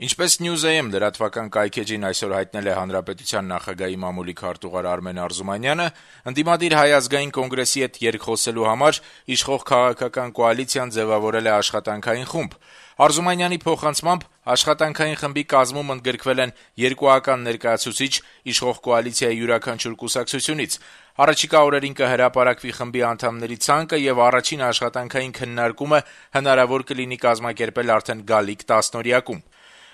Ինչպես News.am լրատվական կայքէջին այսօր հայտնել է Հանրապետության նախագահի մամուլի քարտուղար Արմեն Արզումանյանը, ընդդիմադիր Հայ ազգային կոնգրեսի հետ երկխոսելու համար իշխող քաղաքական կոալիցիան ձեւավորել է աշխատանքային խումբ։ Արզումանյանի փոխանցմամբ աշխատանքային խմբի կազմում ընդգրկվել են երկուական ներկայացուցիչ իշխող կոալիցիայի յուրաքանչյուր կուսակցությունից։ Առաջիկա օրերին կհրապարակվի խմբի անդամների ցանկը եւ առաջին աշխատանքային քննարկումը հնարավոր կլինի կազմակերպել արդեն գալիք 10-օրյակում։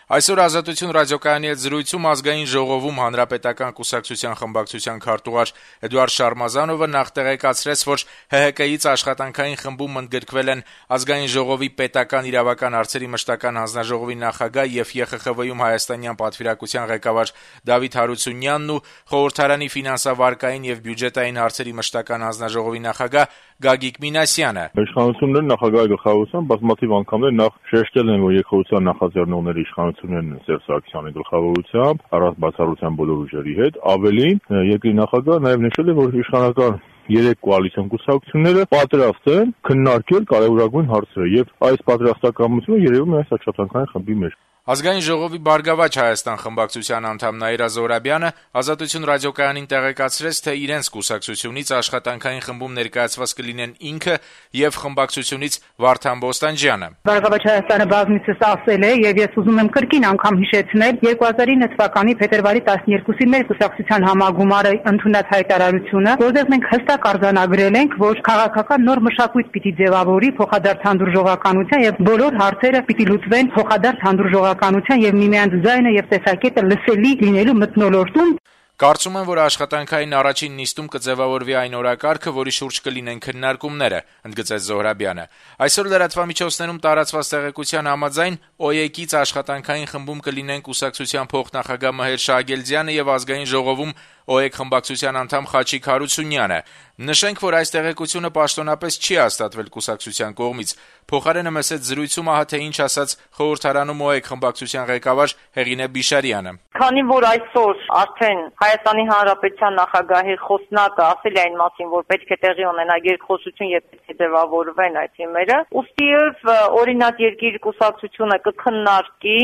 Այսօր «Ազատություն» ռադիոկայանի հետ զրույցում Ազգային ժողովում Հանրապետական կուսակցության խմբակցության քարտուղար Էդուարդ Շարմազանովը նախ տեղեկացրեց, որ ՀՀԿ-ից աշխատանքային խմբում ընդգրկվել են Ազգային ժողովի պետական իրավական հարցերի մշտական հանձնաժողովի նախագահ եւ ԵԽԽՎ-ում հայաստանյան պատվիրակության ղեկավար Դավիթ Հարությունյանն ու խորհրդարանի ֆինանսավարկային եւ բյուջետային հարցերի մշտական հանձնաժողովի նախագահ Գագիկ Մինասյանը։ Իշխանությունները նախագահի գլխավորությամբ բազմաթիվ անգամներ նախ շեշտել են, որ երկխոսության նախաձեռնողները իշխանություններն են Սերժ Սարգսյանի գլխավորությամբ, առանց բացառության բոլոր ուժերի հետ։ Ավելին, երկրի նախագահը նաեւ նշել է, որ իշխանական 3 կոալիցիոն կուսակցությունները պատրաստ են քննարկել կարևորագույն հարցերը եւ այս պատրաստակամությունը երևում է այս աշխատանքային խմբի մեջ։ Ազգային ժողովի «Բարգավաճ Հայաստան» խմբակցության անդամ Նաիրա Զոհրաբյանը «Ազատություն» ռադիոկայանին տեղեկացրեց, թե իրենց կուսակցությունից աշխատանքային խմբում ներկայացված կլինեն ինքը եւ խմբակցությունից Վարդան Բոստանջյանը։ «Բարգավաճ Հայաստանը» բազմիցս ասել է եւ ես ուզում եմ կրկին անգամ հիշեցնել 2009 թվականի փետրվարի 12-ի մեր կուսակցության համագումարը ընդունած հայտարարությունը, որտեղ մենք հստակ արձանագրել ենք, որ քաղաքական նոր մշակույթ պիտի ձևավորի փոխադարձ հանդուրժողականության եւ բոլոր հարցերը պիտի լուծվեն փոխադարձ հանդուրժողականության եւ միմյանց ձայնը եւ տեսակետը լսելի լինելու մթնոլորտում։ Կարծում եմ, որ աշխատանքային առաջին նիստում կձևավորվի այն օրակարգը, որի շուրջ կլինեն քննարկումները, ընդգծեց Զոհրաբյանը։ Այսօր լրատվամիջոցներում տարածված տեղեկության համաձայն ՕԵԿ-ից աշխատանքային խմբում կլինեն կուսակցության փոխնախագահ Մհեր Շահագելձյանը եւ Ազգային ժողովում ՕԵԿ խմբակցության անդամ Խաչիկ Հարությունյանը։ Նշենք, որ այս տեղեկությունը պաշտոնապես չի հաստատվել կուսակցության կողմից։ Փոխարենը մեծ զրույցում ահա թե ինչ ասաց խորհրդարանում ՕԵԿ խմբակցության ղեկավար Հեղինե Բիշարյանը։ Քանի որ այսօր արդեն Հայաստանի Հանրապետության նախագահի խոսնակը ասել է այն մասին, որ պետք է տեղի ունենա երկխոսություն եւ պետք է ձևավորվեն այդ թեմերը, ուստիև օրինակ երկիր կուսակցությունը կքննարկի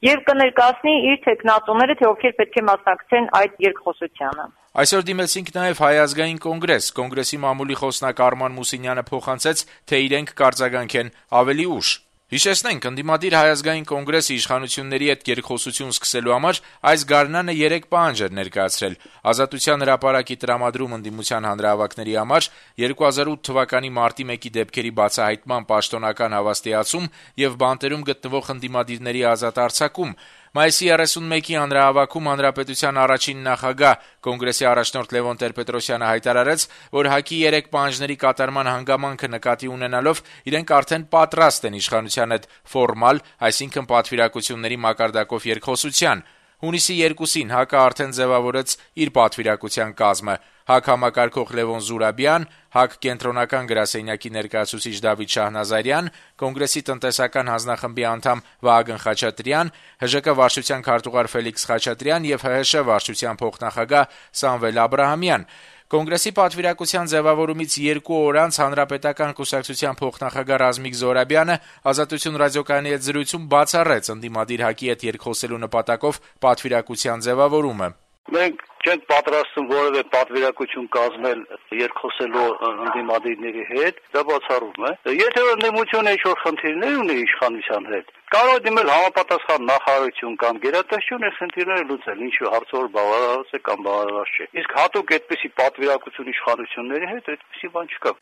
եւ կներկայացնի իր տեխնատուները, թե ովքեր պետք է մասնակցեն այդ երկխոսությանը։ Այսօր դիմեցինք նաեւ Հայ ազգային կոնգրես։ Կոնգրեսի մամուլի խոսնակ Արման Մուսինյանը փոխանցեց, թե իրենք կարձագանքեն ավելի ուշ։ Հիշեցնենք, ընդդիմադիր Հայ ազգային կոնգրեսի իշխանությունների հետ երկխոսություն սկսելու համար այս գարնանը 3 պահանջ էր ներկայացրել։ Ազատության հրապարակի տրամադրում ընդդիմության հանրահավաքների համար 2008 թվականի մարտի 1-ի դեպքերի բացահայտման պաշտոնական հավաստիացում եւ բանտերում գտնվող ընդդիմադիրների ազատ արձակում։ Մայիսի 31-ի հանրահավաքում հանրապետության առաջին նախագահ կոնգրեսի առաջնորդ Լևոն Տեր-Պետրոսյանը հայտարարեց, որ ՀԱԿ-ի 3 պահանջների կատարման հանգամանքը նկատի ունենալով իրենք արդեն պատրաստ են իշխանության հետ ֆորմալ, այսինքն պատվիրակությունների մակարդակով երկխոսության։ Հունիսի 2-ին ՀԱԿ-ը արդեն ձևավորեց իր պատվիրակության կազմը։ ՀԱԿ համակարգող Լևոն Զուրաբյան, ՀԱԿ կենտրոնական գրասենյակի ներկայացուցիչ Դավիթ Շահնազարյան, Կոնգրեսի տնտեսական հանձնախմբի անդամ Վահագն Խաչատրյան, ՀԺԿ վարչության քարտուղար Ֆելիքս Խաչատրյան եւ ՀՀՇ վարչության փոխնախագահ Սամվել Աբրահամյան։ Կոնգրեսի պատվիրակության ձևավորումից 2 օր անց Հանրապետական կուսակցության փոխնախագահ Ռազմիկ Զոհրաբյանը Ազատություն ռադիոկայանի հետ զրույցում բացառեց ընդդիմադիր ՀԱԿ-ի հետ երկխոսելու նպատակով պատվիրակության ձևավորումը։ Մենք չենք պատրաստվում որևէ պատվիրակություն կազմել երկխոսելու ընդդիմադիրների հետ, դա բացառում է։ Եթե ընդդիմությունը ինչ-որ խնդիրներ ունի իշխանության հետ, կարող է դիմել համապատասխան նախարարություն կամ գերատեսչություն այս խնդիրները լուծել, ինչու հարցով բավարարված է կամ բավարարված չէ։ Իսկ հատուկ այդպիսի պատվիրակություն իշխանությունների հետ այդպիսի բան չկա։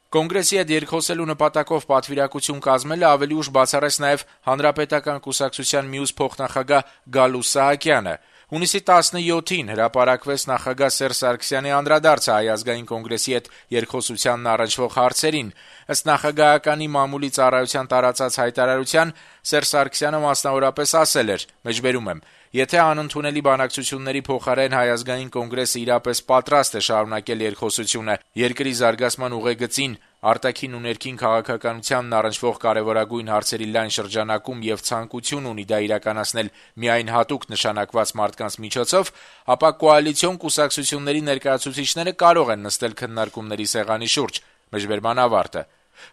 Կոնգրեսի հետ երկխոսելու նպատակով պատվիրակություն կազմելը ավելի ուշ բացառեց նաև Հանրապետական կուսակցության մյուս փոխնախագահ Գալուս Սահակյանը։ Հունիսի 17-ին հրապարակվեց նախագահ Սերժ Սարգսյանի անդրադարձը Հայ ազգային կոնգրեսի հետ երկխոսությանն առնչվող հարցերին։ Ըստ նախագահականի մամուլի ծառայության տարածած հայտարարության Սերժ Սարգսյանը մասնավորապես ասել էր. «Մեջբերում եմ. Եթե անընդունելի բանակցությունների փոխարեն Հայ ազգային կոնգրեսը իրապես պատրաստ է շարունակել երկխոսությունը երկրի զարգացման ուղեգծին, արտաքին ու ներքին քաղաքականությանն առնչվող կարևորագույն հարցերի լայն շրջանակում եւ ցանկություն ունի դա իրականացնել միայն հատուկ նշանակված մարդկանց միջոցով, ապա կոալիցիոն կուսակցությունների ներկայացուցիչները կարող են նստել քննարկումների սեղանի շուրջ»։ Մեջբերման ավարտը։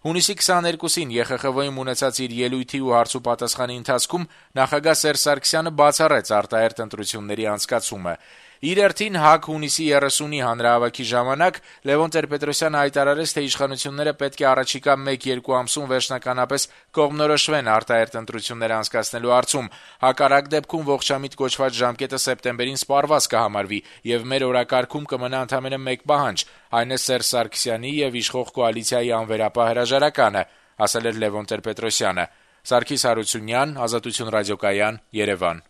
Հունիսի 22-ին ԵԽԽՎ-ում ունեցած իր ելույթի ու հարցուպատասխանի ընթացքում նախագահ Սերժ Սարգսյանը բացառեց արտահերթ ընտրությունների անցկացումը։ Իր հերթին ՀԱԿ հունիսի 30-ի հանրահավաքի ժամանակ Լևոն Տեր-Պետրոսյանը հայտարարեց, թե իշխանությունները պետք է առաջիկա 1-2 ամսում վերջնականապես կողմնորոշվեն արտահերթ ընտրություններ անցկացնելու հարցում։ Հակառակ դեպքում ողջամիտ կոչված ժամկետը սեպտեմբերին սպառված կհամարվի, եւ մեր օրակարգում կմնա ընդամենը մեկ պահանջ, այն է Սերժ Սարգսյանի եւ իշխող կոալիցիայի անվերապահ հրաժարականը, ասել էր Լևոն Տեր-Պետրոսյանը։ Սարգիս Հարությունյան, Ազատություն ռադիոկայան, Երևան։